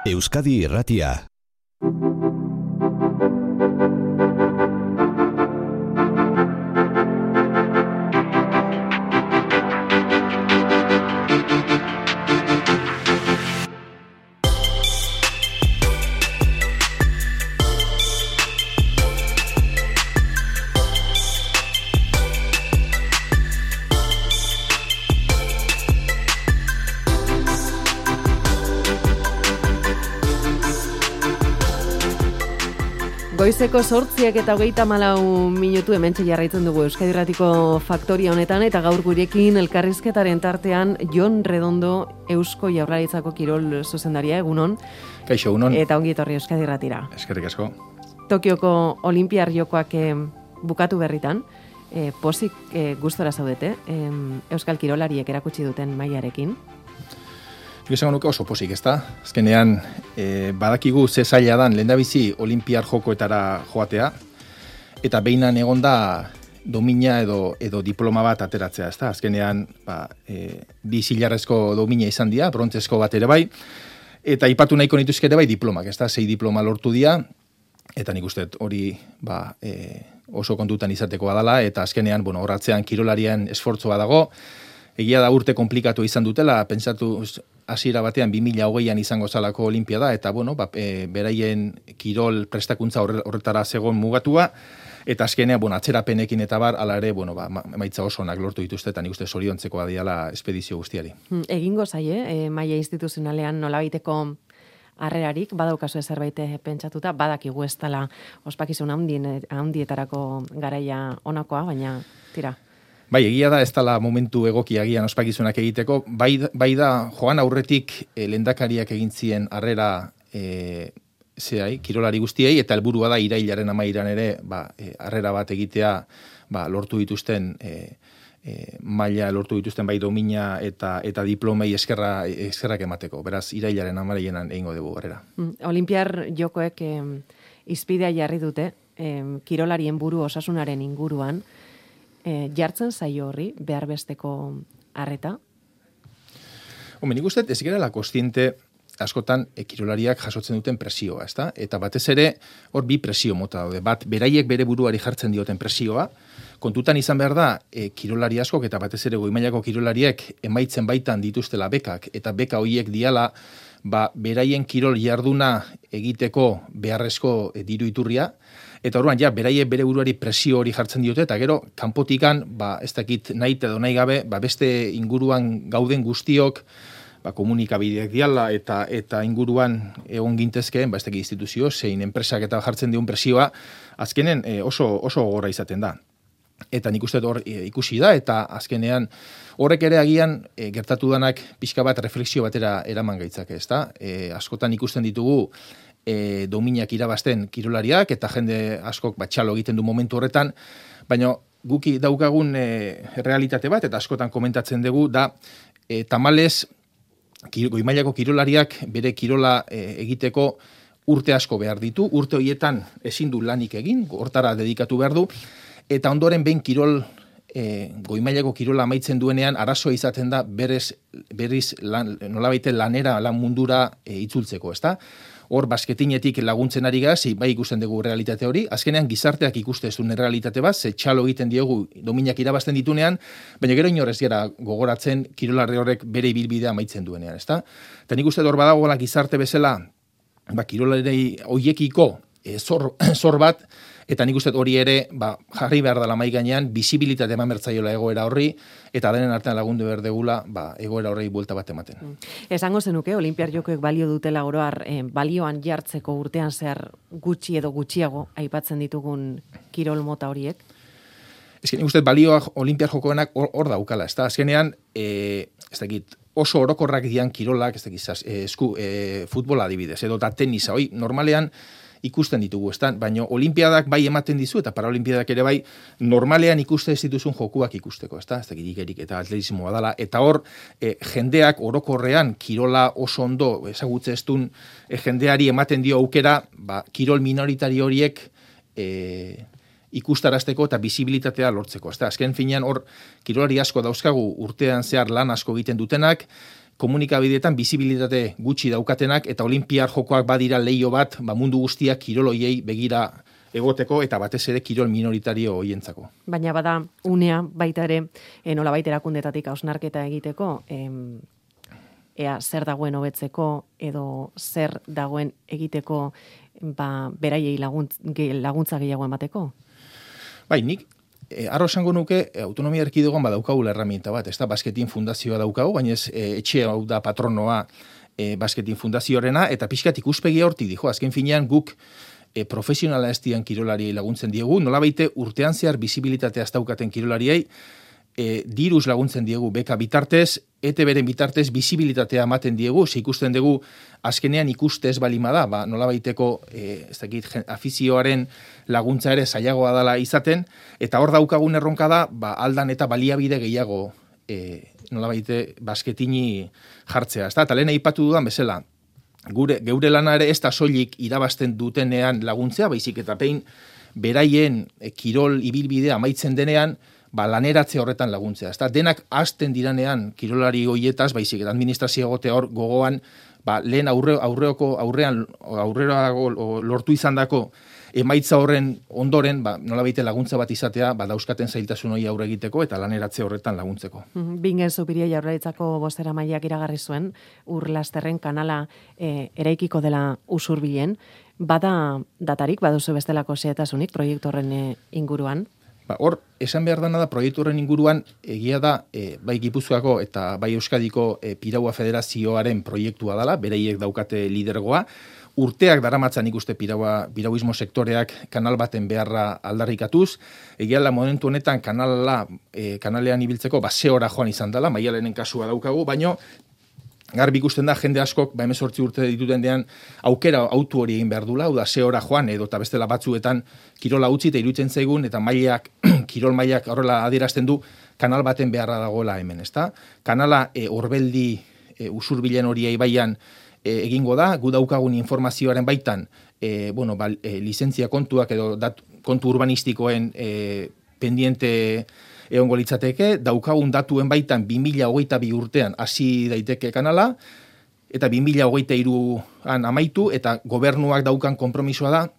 Euskadi Irratia. Goizeko 8:34 hementxe jarraitzen dugu Euskadi Irratiko faktoria honetan, eta gaur gurekin elkarrizketaren tartean Jon Redondo, Eusko Jaurlaritzako kirol zuzendaria, egunon. Kaixo, egunon. Eta ongi etorri Euskadi Irratira. Eskerrik asko. Tokioko Olinpiar Jokoak bukatu berritan, pozik gustora zaudete, Euskal kirolariek erakutsi duten mailarekin. Esango nuke oso pozik, ezta? Azkenean, badakigu ze zaila dan lehendabizi Olinpiar Jokoetara joatea, eta behinan egonda domina edo diploma bat ateratzea, ezta? Azkenean, bi zilarrezko domina izan dira, brontzezko bat ere bai, eta ipatu nahiko nituzke ere bai diplomak, ezta? 6 diploma lortu dira, eta nik uste hori oso kontutan izateko badala, eta azkenean, horatzean kirolarien esfortzua dago. Egia da urte komplikatu izan dutela, pentsatu hasiera batean 2020an izango zalako olimpiada, eta beraien kirol prestakuntza horretara zegoen mugatua, eta azkenean, atzerapenekin eta hala ere, emaitza oso onak lortu dituzte, eta nik uste zoriontzekoa diala espedizio guztiari. Egingo zaie, maila instituzionalean nolabaiteko harrerarik, badaukazu zerbait pentsatuta, badakigu ez dela ospakizun handietarako garaia onakoa, baina tira. Bai, egia da ez dela momentu egokia agian ospakizunak egiteko, bai da joan aurretik lehendakariak egin zien harrera kirolari guztiei, eta helburua da irailaren 13an ere harrera bat egitea lortu dituzten maila lortu dituzten bai domina eta diplomei eskerrak emateko. Beraz, irailaren 13an egingo dugu harrera. Olinpiar Jokoek izpidea jarri dute kirolarien buru osasunaren inguruan. Jartzen zaio horri behar besteko harreta? Nik uste ez gerala kontziente askotan kirolariak jasotzen duten presioa, ezta? Eta batez ere hor bi presio mota daude. Bat, beraiek bere buruari jartzen dioten presioa, kontutan izan behar da kirolari askok eta batez ere goi-mailako kirolariek emaitzen baitan dituztela bekak, eta beka horiek diala beraien kirol jarduna egiteko beharrezko diru iturria, eta orduan beraiek bere buruari presio hori jartzen diote, eta gero kanpotikan ez dakit nahi edo nahi gabe beste inguruan gauden guztiok komunikabideak diala eta inguruan egon gintezkeen ez dakit instituzio zein enpresak eta jartzen dion presioa azkenen oso gogorra izaten da. Eta nik uste hor ikusi da, eta azkenean horrek ere agian gertatu danak pixka bat refleksio batera eraman gaitzake, ezta? Askotan ikusten ditugu dominak irabazten kirolariak, eta jende askok txalo egiten du momentu horretan, baina guki daukagun realitate bat, eta askotan komentatzen dugu, da tamalez goi-mailako kirolariak bere kirola egiteko urte asko behar ditu, urte horietan ezin du lanik egin, hortara dedikatu behar du, eta ondoren behin goi-mailako kirola amaitzen duenean arazoa izaten da berriz nolabaite lan mundura itzultzeko, ezta? Hor basketinetik laguntzen ari gaz, bai ikusten dugu realitate hori, azkenean gizarteak ikuste zuen realitate bat, ze txalo egiten diogu dominak irabazten ditunean, baina gero inorez gara gogoratzen kirolari horrek bere ibilbidea amaitzen duenean, ezta? Eta nik uste hor badagoela gizarte bezala, kirolari hoiekiko zor bat, eta nik uste hori ere jarri behar dela mai gainean, bisibilitate eman bertzaiola egoera horri, eta denen artean lagundu behar degula egoera horrei buelta bat ematen. Esango zenuke, Olinpiar Jokoek balio dutela oroar, balioan jartzeko urtean zer gutxi edo gutxiago aipatzen ditugun kirol mota horiek? Nik uste balioak Olinpiar Jokoenak hor daukala, ez da? Azkenean, ez dakit, oso orokorrak dian kirolak, ez dakit, futbola adibidez, edo da tenisa, normalean, ikusten ditugu, baina olimpiadak bai ematen dizu, eta paraolimpiadak ere bai, normalean ikuste ez dituzun jokuak ikusteko, ez dakit igerik eta atletismoa dala, eta hor, jendeak orokorrean kirola oso ondo ezagutze ez duen jendeari ematen dio aukera, kirol minoritari horiek ikustarazteko eta bisibilitatea lortzeko. Azken finean hor kirolari asko dauzkagu urtean zehar lan asko egiten dutenak, komunikabideetan bizibilitate gutxi daukatenak, eta olimpiar jokoak badira leio bat, mundu guztiak kiroloiei begira egoteko, eta batez ere kirol minoritario hoientzako. Baina bada unea baita ere, nolabait erakundetatik hausnarketa egiteko, ea zer dagoen hobetzeko edo zer dagoen egiteko beraiei laguntza gehiago emateko? Bai, nik arro esango nuke autonomia erkidegoan badaukagula herramienta bat, ez da, Basketin fundazioa daukagu, baina etxe hau da patronoa Basketin fundazioarena, eta pixkat ikuspegi hortik dijo, azken finean guk profesionala ez dian kirolari laguntzen diegu, nolabaite urtean zehar bizibilitatea ez daukaten kirolariei, diruz laguntzen diegu beka bitartez, ETB-ren bitartez bizibilitatea ematen diegu, ze ikusten dugu azkenean ikustez balimada, nolabaiteko ez dakit, afizioaren laguntza ere zailagoa dela izaten, eta hor daukagun erronka da, aldan eta baliabide gehiago nolabaite basketini jartzea. Eta lehen aipatu dudan bezala, geure lana ere ez da soilik irabazten dutenean laguntzea, baizik eta pein beraien kirol ibilbidea amaitzen denean, laneratze horretan laguntzea. Denak hasten diranean kirolari hoietaz, baizik eta administrazio egotea hor gogoan, lehen aurrerago lortu izandako emaitza horren ondoren, nolabait laguntza bat izatea, dauzkaten zailtasun hori aurre egiteko eta laneratze horretan laguntzeko. Bingen Zupiria Jaurlaritzako bozeramaileak iragarri zuen, Urlasterren kanala eraikiko dela Usurbilen, bada datarik, baduzu bestelako xehetasunik proiektu horren inguruan? Hor, esan behar dana da, proiektu horren inguruan, egia da, bai Gipuzkoako eta bai Euskadiko Piraua Federazioaren proiektua dela, bereiek daukate lidergoa, urteak daramatzan ikuste pirauismo sektoreak kanal baten beharra aldarrikatuz, egia da momentu honetan kanalean ibiltzeko, 0 hora joan izan dela, Maialenen kasua daukagu, baino, garbi ikusten da, jende askok, 18 urte dituten dean, aukera autu hori egin behar dula, hau da, 0 hora joan, edo eta bestela batzuetan kirola utzi eta iruditzen zaigun, eta kirol mailak horrela adierazten du, kanal baten beharra dagoela hemen, ezta? Kanala Orbeldi Usurbilen hori ibaian egingo da, gu daukagun informazioaren baitan, lizentzia kontuak edo kontu urbanistikoen pendiente egongo litzateke, daukagun datuen baitan 2022 urtean hasi daiteke kanala, eta 2023an amaitu, eta gobernuak daukan konpromisoa da,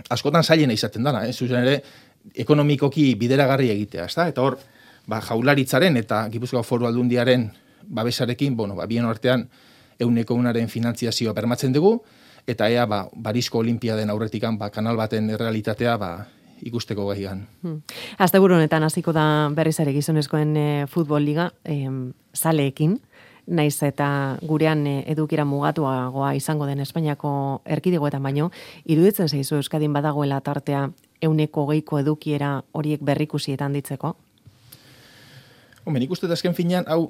askotan zailena izaten dana, zuzen ere, ekonomikoki bideragarri egitea, ezta? Eta hor, Jaurlaritzaren eta Gipuzkoako Foru Aldundiaren babesarekin, bien artean 100% finantziazioa bermatzen dugu, eta ea, Barisko Olimpiaden aurretikan, kanal baten realitatea, ikusteko gaian. Asteburu honetan hasiko da berriz ere gizonezkoen futbol liga, zaleekin, naiz eta gurean edukira mugatuagoa izango den Espainiako erkidegoetan baino, iruditzen zaizu Euskadin badagoela tartea 120ko edukiera horiek berrikusietan ditzeko? Nik uste azken finean, hau,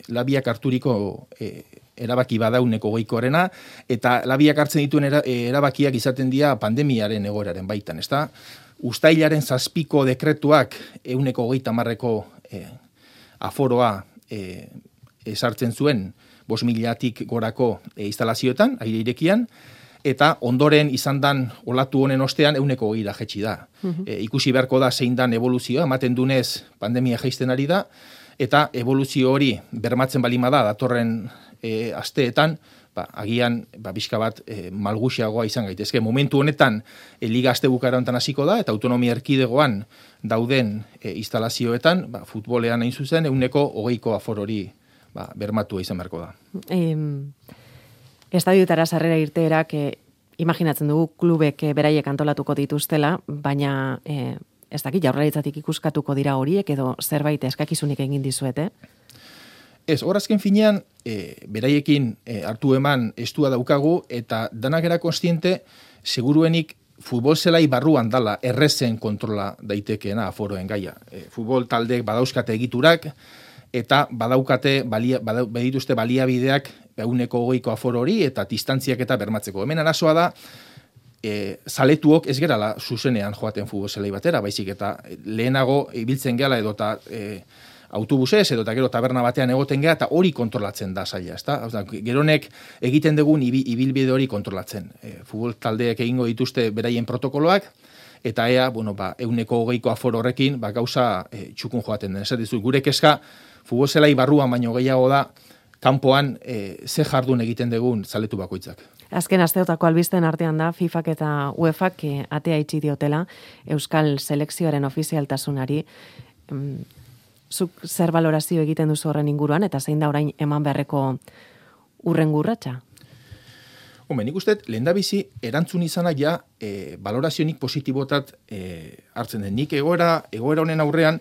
labiak harturiko erabaki bada 120koarena, eta labiak hartzen dituen erabakiak izaten dira pandemiaren egoeraren baitan, ezta? Uztailaren 7ko dekretuak 130ko aforoa esartzen zuen 5.000tik gorako instalazioetan, aire irekian, eta ondoren izan dan olatu honen ostean 120ra jetxi da. Ikusi beharko da zein dan evoluzioa, ematen dunez pandemia jaisten ari da, eta evoluzio hori bermatzen balima da datorren asteetan, agian bizka bat malguxiagoa izan gaitezke. Momentu honetan liga aste bukaera honetan hasiko da, eta autonomia erkidegoan dauden instalazioetan, futbolean hain zuzen, 120ko aforo hori bermatua izan beharko da. Estadioetara sarrera irteerak, imaginatzen dugu klubek beraiek antolatuko dituztela, baina ez dakit Jaurlaritzatik ikuskatuko dira horiek edo zerbait eskakizunik egin dizuete? Ez, horazken finean, beraiekin hartu eman estua daukagu, eta danak era konstiente, seguruenik futbol zelai barruan dala errezen kontrola daitekeena aforoen gaia. Futbol taldeek badauzkate egiturak, eta badituzte baliabideak 120ko aforo hori, eta distantziak eta bermatzeko. Hemen arazoa da, zaletuok ez gerala zuzenean joaten futbol zelai batera, baizik eta lehenago ibiltzen gehala edo eta autobusez edo eta gero taberna batean egoten geha, eta hori kontrolatzen da zaila, ezta? Geronek egiten dugun ibilbide hori kontrolatzen. Futbol taldeek egingo dituzte beraien protokoloak, eta ea, 120 aforo horrekin, gauza txukun joaten den. Esatizu, gure kezka, futbol zelai barruan baino gehiago da, kanpoan ze jardun egiten dugun zaletu bakoitzak. Azken asteotako albisten artean da, FIFAk eta UEFAk atea itxi diotela Euskal Selekzioaren ofizialtasunari. Zuk zer balorazio egiten duzu horren inguruan, eta zein da orain eman beharreko urrengo urratsa? Nik uste, lehendabizi, erantzun izana ja balorazionik positibotat hartzen den. Nik egoera honen aurrean,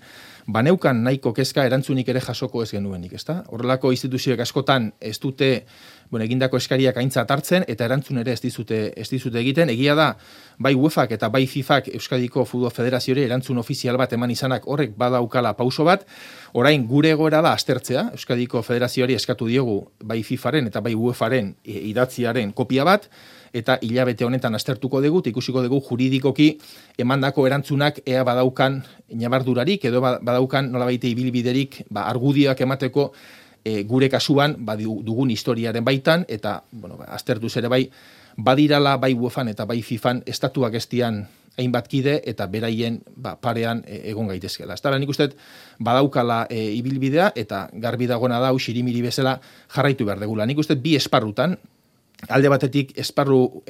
baneukan nahiko kezka erantzunik ere jasoko ez genuenik, ezta? Horrelako instituzioek askotan ez dute egindako eskariak aintzat hartzen, eta erantzun ere ez dizute egiten. Egia da, bai UEFAk eta bai FIFAk Euskadiko Futbol Federazioare erantzun ofizial bat eman izanak horrek badaukala pauso bat. Orain gure egoera da aztertzea, Euskadiko Federazioari eskatu diogu bai FIFaren eta bai UEFaren idatziaren kopia bat, eta hilabete honetan aztertuko dugu, ikusiko dugu juridikoki emandako erantzunak ea badaukan ñabardurarik, edo badaukan nolabait ibilbiderik argudioak emateko gure kasuan dugun historiaren baitan, eta aztertuz ere bai, badirala bai UEFan eta bai FIFan estatuak estian hainbat kide eta beraien parean egon gaitezkela. Ez da, nik uste badaukala ibilbidea, eta garbi dagoena da, xirimiri bezala jarraitu behar degula. Nik uste bi esparrutan, alde batetik esparru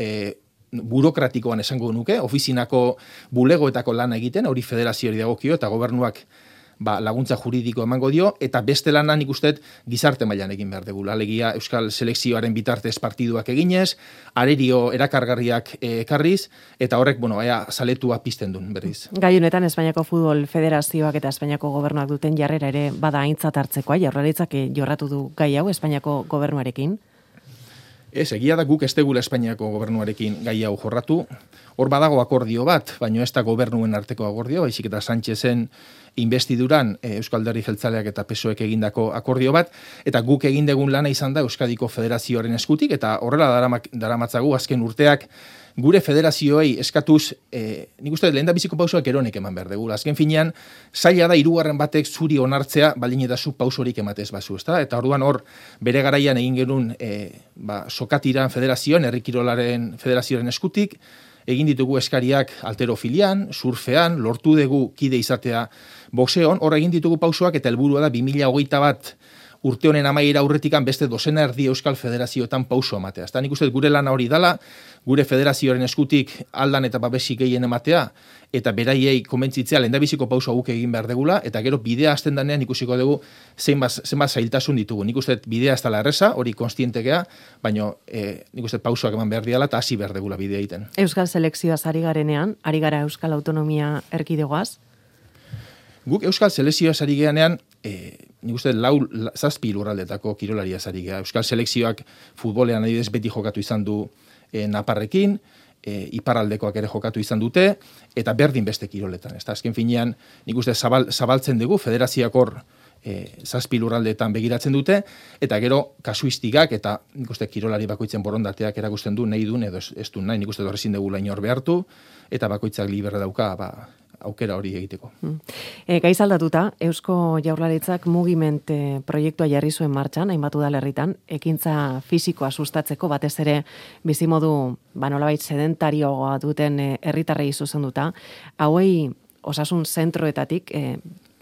burokratikoan esango nuke, ofizinako bulegoetako lana egiten, hori federazioari dagokio eta gobernuak laguntza juridiko emango dio, eta beste lana nik uste gizarte mailan egin behar degula. Alegia Euskal Selekzioaren bitartez partiduak eginez, arerio erakargarriak ekarriz, eta horrek, ea zaletua pizten duen berriz. Gai honetan Espainiako Futbol Federazioak eta Espainiako gobernuak duten jarrera ere bada aintzat hartzekoa, Jaurlaritzak jorratu du gai hau Espainiako gobernuarekin? Ez, egia da guk ez tegula Espainiako gobernuarekin gai hau jorratu. Hor badago akordio bat, baina ez da gobernuen arteko akordio, baizik eta Sánchezen investiduran Euskal Alderdi Jeltzaleak eta PSOEk egindako akordio bat, eta guk egin dugun lana izan da Euskadiko Federazioaren eskutik, eta horrela daramatzagu azken urteak gure federazioei eskatuz, nik uste lehendabiziko pausoak eronek eman behar dugu. Azken finean, zaila da hirugarren batek zuri onartzea, baldin eta zu pausorik ematez bazu, ezta? Eta orduan hor, bere garaian egin genuen sokatiran federazioan, Herri Kirolaren Federazioaren eskutik, egin ditugu eskariak alterofilian, surfean, lortu dugu kide izatea boxeon, hor egin ditugu pausoak, eta helburua da 2021 urte honen amaiera aurretikan beste dozena erdi Euskal Federazioetan pauso ematea. Eta nik uste gure lana hori dala, gure federazioaren eskutik aldan eta babesik gehien ematea, eta beraiei konbentzitzea lehendabiziko pauso guk egin behar degula, eta gero bidea hasten danean ikusiko dugu zenbat zailtasun ditugu. Nik uste bidea ez dela erreza, hori konstientekea, baina nik uste pausoak eman behar diala eta hasi behar degula bidea egiten. Euskal Selekzioaz ari garenean, ari gara Euskal Autonomia Erkidegoaz? Guk Euskal Selekzioaz ari garenean, nik uste 7 lurraldetako kirolariaz ari gara. Euskal Selekzioak futbolean adibidez beti jokatu izan du Naparrekin, iparraldekoak ere jokatu izan dute, eta berdin beste kiroletan. Azken finean, nik uste zabaltzen dugu, federazioak hor 7 lurraldeetan begiratzen dute, eta gero kasuistikak eta nik uste kirolari bakoitzen borondateak erakusten du, nahi duen edo ez du nahi, nik uste horrezin dugu lain hor behartu, eta bakoitzak liberra dauka, aukera hori egiteko. Gaiz aldatuta, Eusko Jaurlaritzak mugiment proiektua jarri zuen martxan, hainbat udalerritan, ekintza fisikoa sustatzeko, batez ere bizimodu nolabait sedentarioa duten herritarrei zuzenduta, hauei osasun zentroetatik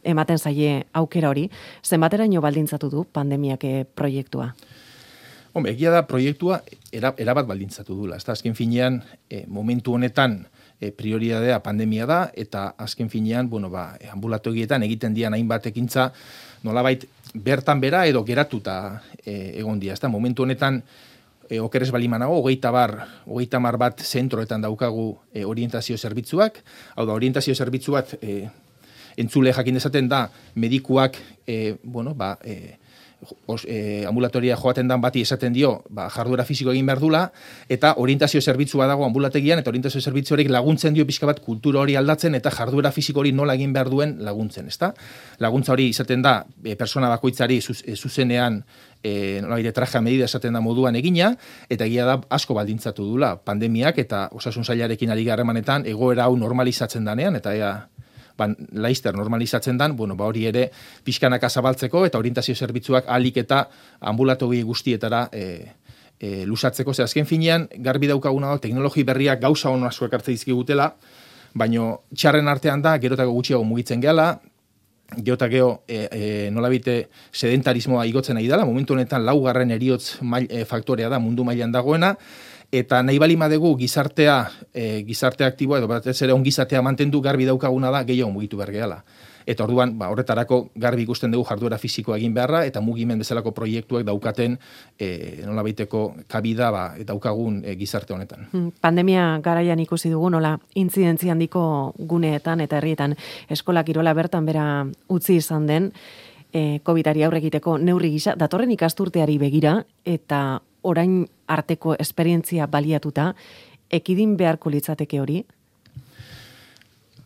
ematen zaie aukera hori, zenbateraino baldintzatu du pandemiak proiektua? Egia da proiektua erabat baldintzatu dula. Azken finean, momentu honetan, prioridadea pandemia da, eta azken finean, ambulatogietan egiten dian hainbat ekintza, nolabait bertan bera edo geratuta egon dia. Momentu honetan, okeres balimanago, 30 bat zentroetan daukagu orientazio zerbitzuak, hau da, orientazio zerbitzu bat entzule jakin dezaten da, medikuak, ambulatoria joaten dan bati esaten dio, jarduera fisiko egin behar dula, eta orientazio zerbitzua dago ambulategian, eta orientazio zerbitzu horiek laguntzen dio pixka bat kultura hori aldatzen, eta jarduera fisiko hori nola egin behar duen laguntzen, ezta? Laguntza hori izaten da, persona bakoitzari zuzenean, nolabide traja medida esaten da moduan egina, eta egia da asko baldintzatu dula pandemiak, eta osasun sailarekin ari harremanetan egoera hau normalizatzen danean, eta laizter normalizatzen dan, hori ere pixkanaka zabaltzeko eta orientazio zerbitzuak ahalik eta ambulatogi guztietara luzatzeko. Azken finean, garbi daukaguna teknologi berriak gauza honu asko ekartze dizkigutela, Baino txarren artean da, gerotako gutxiago mugitzen gehala, geotageo nolabite sedentarismoa igotzen nahi dela, momentu honetan laugarren eriotz faktorea da mundu mailan dagoena, eta nahi bali madegu gizarte aktiboa edo batez ere ongizatea mantendu garbi daukaguna da gehiago mugitu behar gehala. Eta orduan, horretarako garbi ikusten dugu jarduera fisikoa egin beharra, eta mugimen bezalako proiektuak daukaten nolabaiteko kabida daukagun gizarte honetan. Pandemia garaian ikusi dugu, nola intzidentzia handiko guneetan eta herrietan eskola kirola bertan bera utzi izan den, COVID-ari aurre egiteko neurri gisa, datorren ikasturteari begira, eta orain arteko esperientzia baliatuta, ekidin beharko litzateke hori?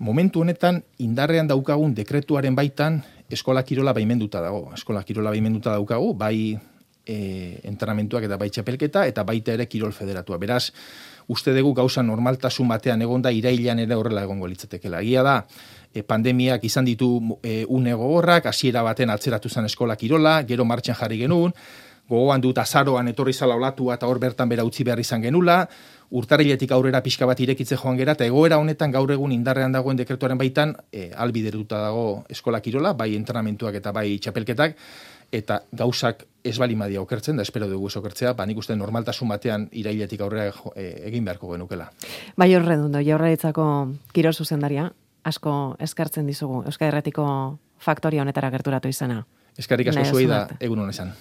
Momentu honetan, indarrean daukagun dekretuaren baitan, eskola kirola baimenduta dago. Eskola kirola baimenduta daukagu, bai entrenamentuak eta bai txapelketa, eta baita ere kirol federatua. Beraz, uste dugu gauza normaltasun batean egonda irailean ere horrela egongo litzatekela. Egia da, pandemiak izan ditu une gogorrak, hasiera baten atzeratu zen eskola kirola, gero martxan jarri genuen, gogoan dut azaroan etorri zala olatua eta hor bertan bera utzi behar izan genula, urtarriletik aurrera pixka bat irekitze joan gera, eta egoera honetan gaur egun indarrean dagoen dekretuaren baitan, albideruta dago eskola kirola, bai entrenamentuak eta bai txapelketak, eta gauzak ez balimadia okertzen, da espero dugu ez okertzea, nik uste normaltasun batean irailetik aurrera egin beharko genukela. Bai Horredundo, Jaurlaritzako kirol zuzendaria, asko eskartzen dizugu, Euskal Herretiko faktoria honetara gerturatu izana. Eskarrik asko zuei da egun honetan.